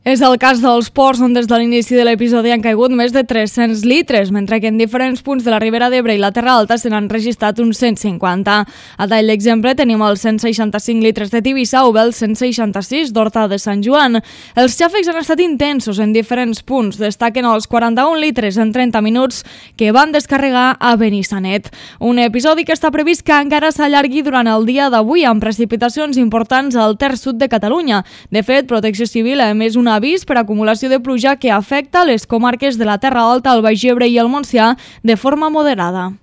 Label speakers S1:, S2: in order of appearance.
S1: És el cas dels ports, on des de l'inici de l'episodi han caigut més de 300 litres, mentre que en diferents punts de la Ribera d'Ebre i la Terra Alta se n'han registrat uns 150. A tall d'exemple tenim els 165 litres de Tivissa o bé els 166 d'Horta de Sant Joan. Els xàfecs han estat intensos en diferents punts. Destaquen els 41 litres en 30 minuts que van descarregar a Benissanet. Un episodi que està previst que encara s'allargui durant el dia d'avui, amb precipitacions importants al terç sud de Catalunya. De fet, Protecció Civil ha emès un avís per acumulació de pluja que afecta les comarques de la Terra Alta, el Baix Ebre i el Montsià de forma moderada.